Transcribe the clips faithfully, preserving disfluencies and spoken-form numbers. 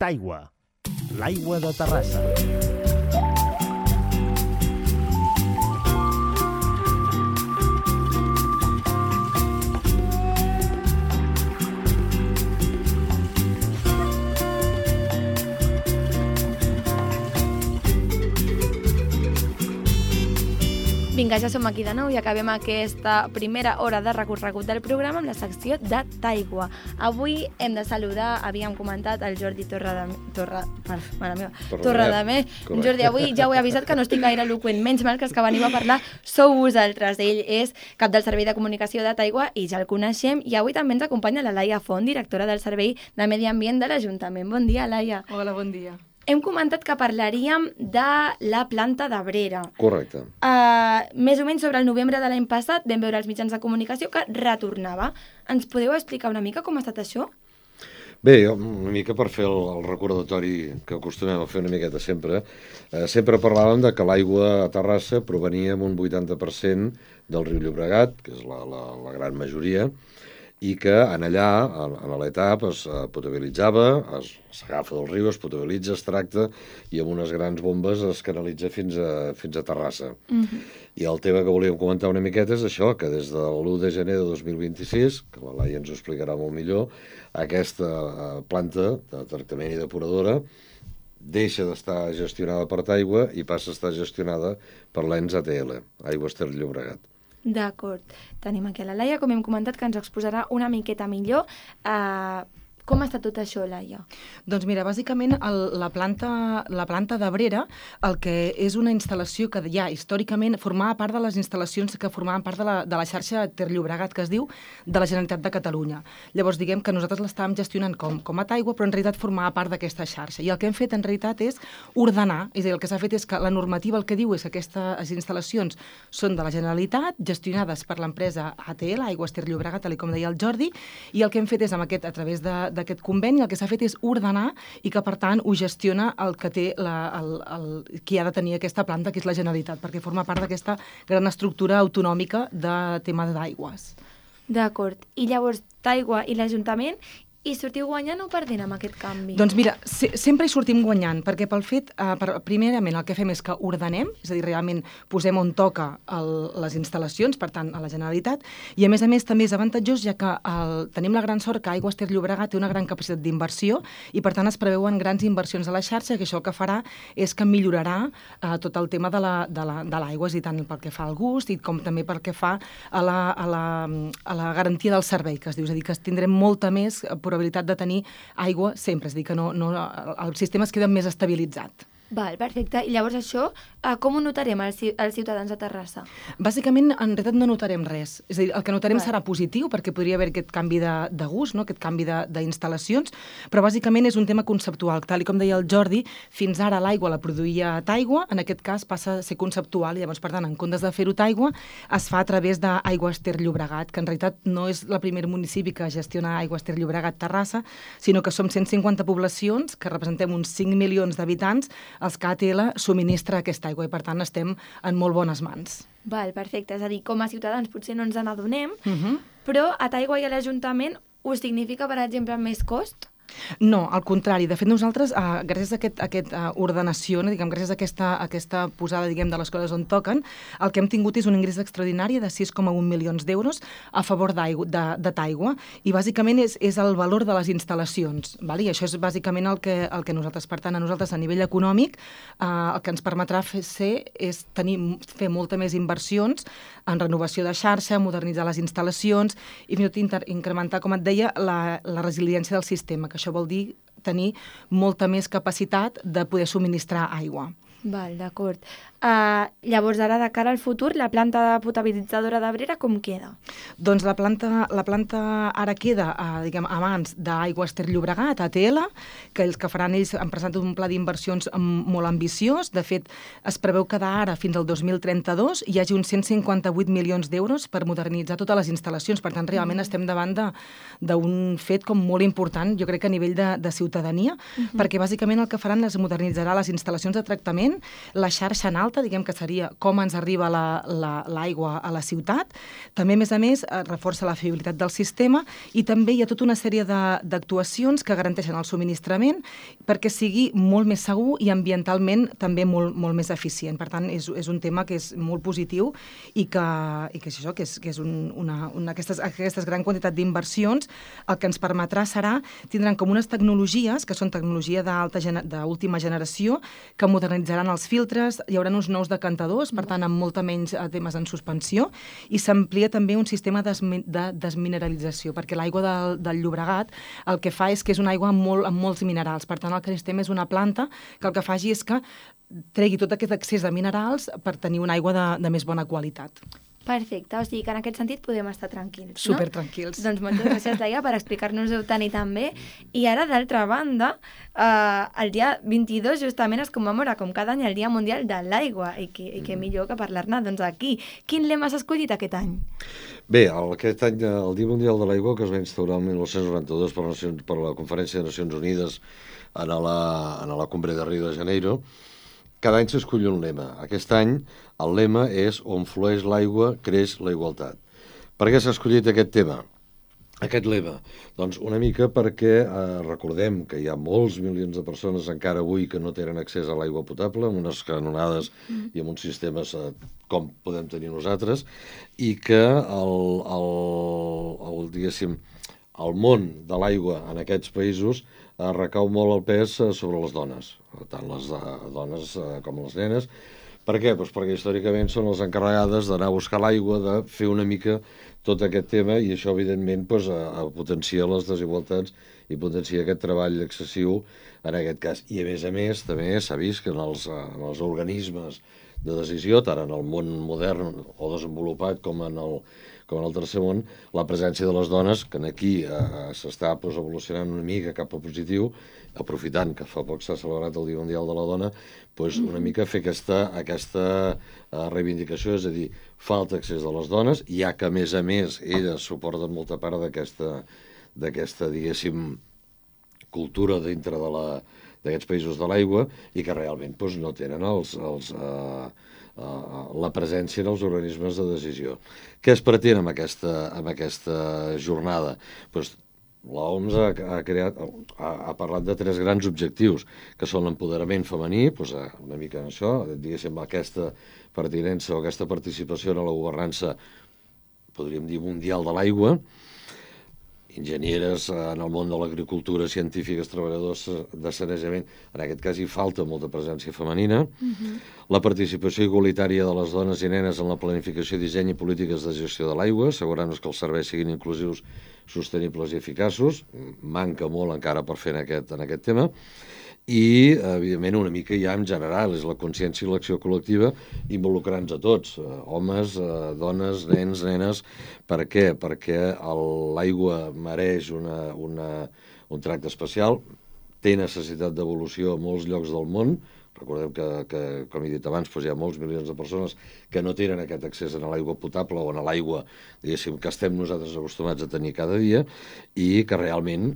Taigua, l'aigua de Terrassa. Vinga, ja som aquí de nou i acabem aquesta primera hora de recorregut del programa amb la secció de Taigua. Avui hem de saludar, havíem comentat, el Jordi Torradamé. Torra... Mare meva. Torradamé. Jordi, avui ja ho he avisat que no estic gaire eloqüent. Menys mal que els que venim a parlar sou vosaltres. Ell és cap del Servei de Comunicació de Taigua i ja el coneixem. I avui també ens acompanya la Laia Font, directora del Servei de Medi Ambient de l'Ajuntament. Bon dia, Laia. Hola, bon dia. Hem comentat que parlaríem de la planta d'Abrera. Correcte. Uh, més o menys sobre el novembre de l'any passat vam veure els mitjans de comunicació que retornava. Ens podeu explicar una mica com ha estat això? Bé, una mica per fer el, el recordatori que acostumem a fer una miqueta sempre, eh, sempre parlàvem de que l'aigua a Terrassa provenia amb un vuitanta per cent del riu Llobregat, que és la, la, la gran majoria, i que en allà, en l'etapa, es potabilitzava, s'agafa del riu, es potabilitza, es tracta, i amb unes grans bombes es canalitza fins a, fins a Terrassa. Uh-huh. I el tema que volíem comentar una miqueta és això, que des de l'u de gener de dos mil vint-i-sis, que la Laia ens ho explicarà molt millor, aquesta planta de tractament i depuradora deixa d'estar gestionada per Taigua i passa a estar gestionada per l'E N S A T L, Aigües Ter Llobregat. D'acord. Tenim aquí a la Laia, com hem comentat, que ens exposarà una miqueta millor. Uh, com està tot això, Laia? Doncs mira, bàsicament el, la planta, la planta d'Abrera, el que és una instal·lació que ja històricament formava part de les instal·lacions que formaven part de la, de la xarxa Ter Llobregat, que es diu, de la Generalitat de Catalunya. Llavors, diguem que nosaltres l'estàvem gestionant com, com a Taigua, però en realitat formava part d'aquesta xarxa. I el que hem fet en realitat és ordenar, és a dir, el que s'ha fet és que la normativa el que diu és que aquestes instal·lacions són de la Generalitat, gestionades per l'empresa A T L, Aigües Ter Llobregat, tal com deia el Jordi, i el que hem fet és, amb aquest, a través de, d'aquest conveni, el que s'ha fet és ordenar i que, per tant, ho gestiona el que té la, el, el, qui ha de tenir aquesta planta, que és la Generalitat, perquè forma part d'aquesta gran estructura autonòmica de tema d'aigües. D'acord. I llavors, Taigua i l'Ajuntament i sortiu guanyant o perdent amb aquest canvi? Doncs mira, se sempre hi sortim guanyant, perquè pel fet, eh, per, primerament, el que fem és que ordenem, és a dir, realment posem on toca el, les instal·lacions, per tant, a la Generalitat, i a més a més també és avantatjós, ja que el, tenim la gran sort que Aigües Ter Llobregat té una gran capacitat d'inversió i, per tant, es preveuen grans inversions a la xarxa, que això el que farà és que millorarà eh, tot el tema de l'aigua, és a dir, tant pel que fa al gust i com també pel que fa a la, a la, a la garantia del servei, que es diu, és a dir, que tindrem molta més probabilitat de tenir aigua sempre, és a dir, que no, no, el sistema es queda més estabilitzat. Val, perfecte. I llavors això, eh, com ho notarem els, els ciutadans de Terrassa? Bàsicament, en realitat no notarem res. És a dir, el que notarem Val. serà positiu, perquè podria haver aquest canvi de, de gust, no? Aquest canvi d'instal·lacions, però bàsicament és un tema conceptual. Tal com deia el Jordi, fins ara l'aigua la produïa Taigua, en aquest cas passa a ser conceptual, i llavors, per tant, en comptes de fer-ho Taigua, es fa a través d'Aigües Ter Llobregat, que en realitat no és el primer municipi que gestiona Aigües Ter Llobregat Terrassa, sinó que som cent cinquanta poblacions, que representem uns cinc milions d'habitants, els que A T L subministra aquesta aigua i, per tant, estem en molt bones mans. Val, perfecte. És a dir, com a ciutadans potser no ens n'adonem, Uh-huh. però a Taigua i a l'Ajuntament us significa, per exemple, més cost? No, al contrari. De fet, nosaltres, eh, gràcies a aquesta aquest, uh, ordenació, no, diguem, gràcies a aquesta, a aquesta posada, diguem, de les coses on toquen, el que hem tingut és un ingrés extraordinari de sis coma un milions d'euros a favor de, de Taigua, i bàsicament és, és el valor de les instal·lacions, val? I això és bàsicament el que, el que nosaltres, per tant, a nosaltres a nivell econòmic, eh, el que ens permetrà fer ser és tenir, fer molta més inversions en renovació de xarxa, modernitzar les instal·lacions i fins i tot incrementar, com et deia, la, la resiliència del sistema, que això vol dir tenir molta més capacitat de poder subministrar aigua. Val, d'acord. Uh, llavors, ara, de cara al futur, la planta potabilitzadora d'Abrera com queda? Doncs la planta, la planta ara queda, uh, diguem, a mans d'Aigües Ter Llobregat, A T L, que els que faran ells han presentat un pla d'inversions molt ambiciós. De fet, es preveu que d'ara fins al dos mil trenta-dos hi hagi uns cent cinquanta-vuit milions d'euros per modernitzar totes les instal·lacions. Per tant, realment mm. estem davant d'un fet com molt important, jo crec que a nivell de, de ciutadania, mm-hmm. perquè bàsicament el que faran és modernitzarà les instal·lacions de tractament subministrament, la xarxa en alta, diguem que seria com ens arriba l'aigua a la ciutat, també, a més a més, reforça la fiabilitat del sistema i també hi ha tota una sèrie d'actuacions que garanteixen el subministrament perquè sigui molt més segur i ambientalment també molt, molt més eficient. Per tant, és, és un tema que és molt positiu i que, i que és això, que és, que és un, una, una, aquestes, aquestes gran quantitat d'inversions el que ens permetrà serà, tindran com unes tecnologies, que són tecnologia d'última generació, que modernitzaran els filtres, hi haurà uns nous decantadors, per tant, amb molta menys temes en suspensió, i s'amplia també un sistema de desmineralització, perquè l'aigua del, del Llobregat el que fa és que és una aigua amb, molt, amb molts minerals. Per tant, el que necessitem és una planta que el que faci és que tregui tot aquest excés de minerals per tenir una aigua de, de més bona qualitat. Perfecte, o sigui que en aquest sentit podem estar tranquils, no? Super tranquils. Doncs moltes gràcies, Laia, per explicar-nos-ho tant i tan bé. I ara, d'altra banda, eh, el dia vint-i-dos justament es commemora, com cada any, el Dia Mundial de l'Aigua, i que, i que millor que parlar-ne doncs aquí. Quin lema s'ha escollit aquest any? Bé, el, aquest any el Dia Mundial de l'Aigua, que es va instaurar el mil nou-cents noranta-dos per, Nacions, per la Conferència de Nacions Unides en la, en la Cumbre de Rio de Janeiro, cada any s'escull un lema. Aquest any el lema és on flueix l'aigua, creix la igualtat. Per què s'ha escollit aquest tema? Aquest lema? Doncs una mica perquè eh, recordem que hi ha molts milions de persones encara avui que no tenen accés a l'aigua potable, amb unes canonades mm. i amb uns sistemes eh, com podem tenir nosaltres, i que el, el, el, diguéssim, el món de l'aigua en aquests països eh, recau molt el pes eh, sobre les dones, tant les eh, dones eh, com les nenes. Per què? Pues perquè històricament són les encarregades d'anar a buscar l'aigua, de fer una mica tot aquest tema, i això, evidentment, pues, a, a potenciar les desigualtats i potenciar aquest treball excessiu en aquest cas. I, a més a més, també s'ha vist que en els, en els organismes de decisió, tant en el món modern o desenvolupat com en el, com en el tercer món, la presència de les dones, que aquí eh, s'està pues, evolucionant una mica cap a positiu, aprofitant que fa poc s'ha celebrat el Dia Mundial de la Dona, pues, una mica fer aquesta, aquesta uh, reivindicació, és a dir, falta accés de les dones, ja que, a més a més, elles suporten molta part d'aquesta, d'aquesta, diguéssim, cultura dintre de la, d'aquests països de l'aigua, i que realment pues, no tenen els, els, uh, uh, la presència en els organismes de decisió. Què es pretén amb aquesta, amb aquesta jornada? Pues, l'O M S ha, ha, creat, ha, ha parlat de tres grans objectius, que són l'empoderament femení, doncs, una mica en això, diguéssim, aquesta pertinença o aquesta participació en la governança, podríem dir, mundial de l'aigua, enginyeres en el món de l'agricultura, científiques, treballadors de sanejament, en aquest cas hi falta molta presència femenina, uh-huh. La participació igualitària de les dones i nenes en la planificació, disseny i polítiques de gestió de l'aigua, assegurant-nos que els serveis siguin inclusius, sostenibles i eficaços, manca molt encara per fer en aquest, en aquest tema, i, evidentment, una mica ja en general, és la consciència i l'acció col·lectiva involucrant-nos a tots, homes, dones, nens, nenes. Per què? Perquè l'aigua mereix una, una, un tracte especial, té necessitat d'evolució a molts llocs del món. Recordeu que, que com he dit abans, doncs hi ha molts milions de persones que no tenen aquest accés a l'aigua potable o a l'aigua, diguéssim, que estem nosaltres acostumats a tenir cada dia, i que realment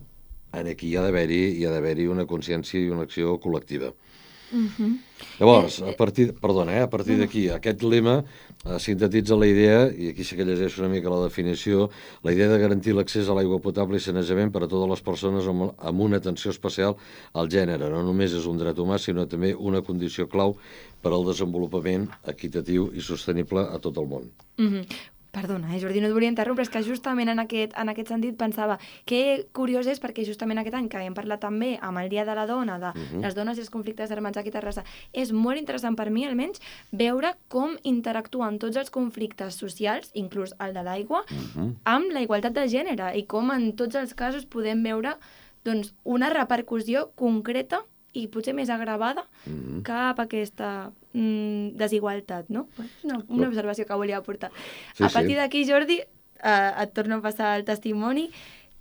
aquí hi ha d'haver-hi hi ha d'haver-hi una consciència i una acció col·lectiva. Uh-huh. Llavors, a partir, perdona, eh, a partir d'aquí, aquest lema eh, sintetitza la idea, i aquí sí que llegeixo una mica la definició, la idea de garantir l'accés a l'aigua potable i sanejament per a totes les persones amb, amb una atenció especial al gènere. No només és un dret humà, sinó també una condició clau per al desenvolupament equitatiu i sostenible a tot el món. Uh-huh. Perdona, eh, Jordi, no et volia interrompre, és que justament en aquest, en aquest sentit pensava que curiós és perquè justament aquest any que hem parlat també amb el Dia de la Dona, de uh-huh. les dones i els conflictes armats aquí a Terrassa, és molt interessant per mi, almenys, veure com interactuen tots els conflictes socials, inclús el de l'aigua, uh-huh. amb la igualtat de gènere, i com en tots els casos podem veure doncs, una repercussió concreta i potser més agravada mm-hmm. cap a aquesta mm, desigualtat, no? Una, una observació que volia aportar. Sí, a partir sí. d'aquí, Jordi, eh, et torno a passar el testimoni.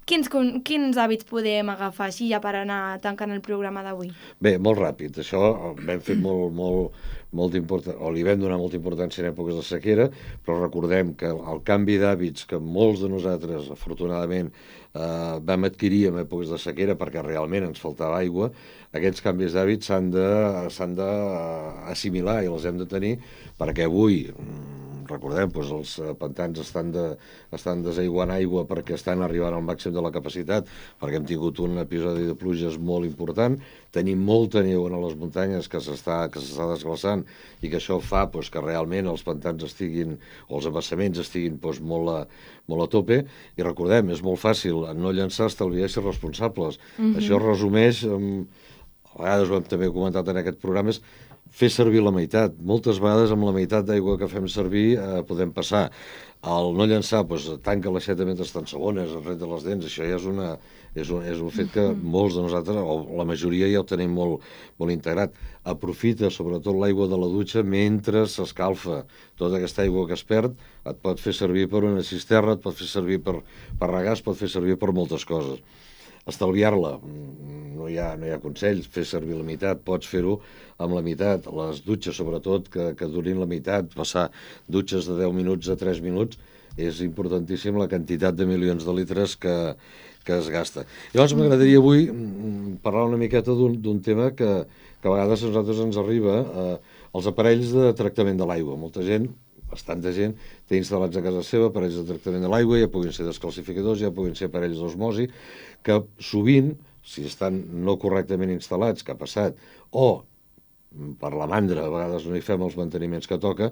quins, quins hàbits podem agafar així ja per anar tancant el programa d'avui? Bé, molt ràpid. Això vam fer molt, molt, molt important, o li vam donar molta importància en èpoques de sequera, però recordem que el canvi d'hàbits que molts de nosaltres, afortunadament, eh, vam adquirir en èpoques de sequera perquè realment ens faltava aigua, aquests canvis d'hàbits s'han de, s'han d'assimilar i els hem de tenir perquè avui, recordem, doncs els pantans estan, de, estan desaiguant aigua perquè estan arribant al màxim de la capacitat, perquè hem tingut un episodi de pluges molt important, tenim molta neu a les muntanyes que s'està que s'està desglaçant i que això fa doncs, que realment els pantans estiguin, o els embassaments estiguin doncs, molt, a, molt a tope, i recordem, és molt fàcil no llançar, estalviar i ser responsables. Mm-hmm. Això resumeix, a vegades ho hem també comentat en aquest programa, és fer servir la meitat. Moltes vegades amb la meitat d'aigua que fem servir eh, podem passar. El no llançar, doncs, tanca l'aixeta mentre estan segones, es renta les dents, això ja és, una, és, un, és un fet que molts de nosaltres, o la majoria ja ho tenim molt, molt integrat. Aprofita sobretot l'aigua de la dutxa mentre s'escalfa. Tota aquesta aigua que es perd et pot fer servir per una cisterna, et pot fer servir per, per regar, es pot fer servir per moltes coses. Estalviar-la, no hi ha, no hi ha consells, fer servir la meitat, pots fer-ho amb la meitat, les dutxes sobretot que, que durin la meitat, passar dutxes de deu minuts a tres minuts, és importantíssim la quantitat de milions de litres que, que es gasta. Llavors m'agradaria avui parlar una miqueta d'un tema que, que a vegades a nosaltres ens arriba, eh, els aparells de tractament de l'aigua. Molta gent, bastanta gent, té instal·lats a casa seva aparells de tractament de l'aigua, ja puguin ser descalcificadors, ja puguin ser aparells d'osmosi, que sovint, si estan no correctament instal·lats, que ha passat, o per la mandra, a vegades no hi fem els manteniments que toca,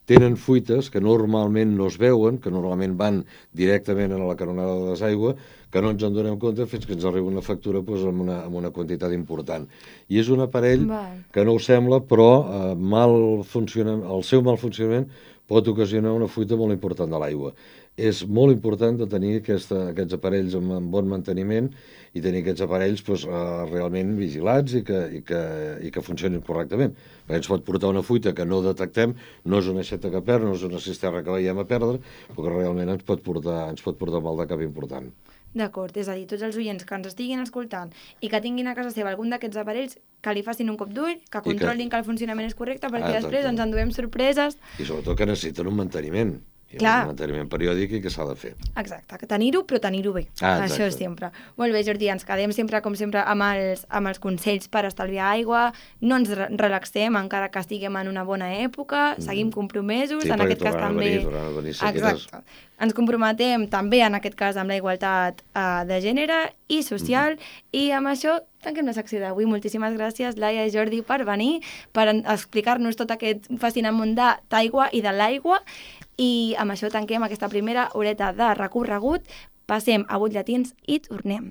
tenen fuites que normalment no es veuen, que normalment van directament a la canonada de desaigua, que no ens en donem compte fins que ens arriba una factura doncs, amb, una, amb una quantitat important. I és un aparell Val. que no ho sembla, però eh, mal funciona, el seu mal funcionament pot ocasionar una fuita molt important de l'aigua. És molt important de tenir aquesta, aquests aparells amb, amb bon manteniment i tenir aquests aparells doncs, eh, realment vigilats i que, i, que, i que funcionin correctament. Perquè ens pot portar una fuita que no detectem, no és una aixeta que perd, no és una cisterna que veiem a perdre, però que realment ens pot portar, ens pot portar mal de cap important. D'acord, és a dir, tots els oients que ens estiguin escoltant i que tinguin a casa seva algun d'aquests aparells, que li facin un cop d'ull, que controlin que... que el funcionament és correcte, perquè ah, després ens enduem sorpreses. I sobretot que necessiten un manteniment. Hi ha Clar. un manteniment periòdic i que s'ha de fer. Exacte, que tenir-ho, però tenir-ho bé. Ah, Això és sempre. Molt bé, Jordi, ens quedem sempre, com sempre, amb els, amb els consells per estalviar aigua, no ens re relaxem encara que estiguem en una bona època, mm. seguim compromesos, sí, en aquest cas també... Venir, a venir Exacte. Ens comprometem també, en aquest cas, amb la igualtat uh, de gènere i social, mm. i amb això tanquem la secció d'avui. Moltíssimes gràcies, Laia i Jordi, per venir, per explicar-nos tot aquest fascinant món d'aigua i de l'aigua. I amb això tanquem aquesta primera horeta de recorregut. Passem a butlletins i tornem.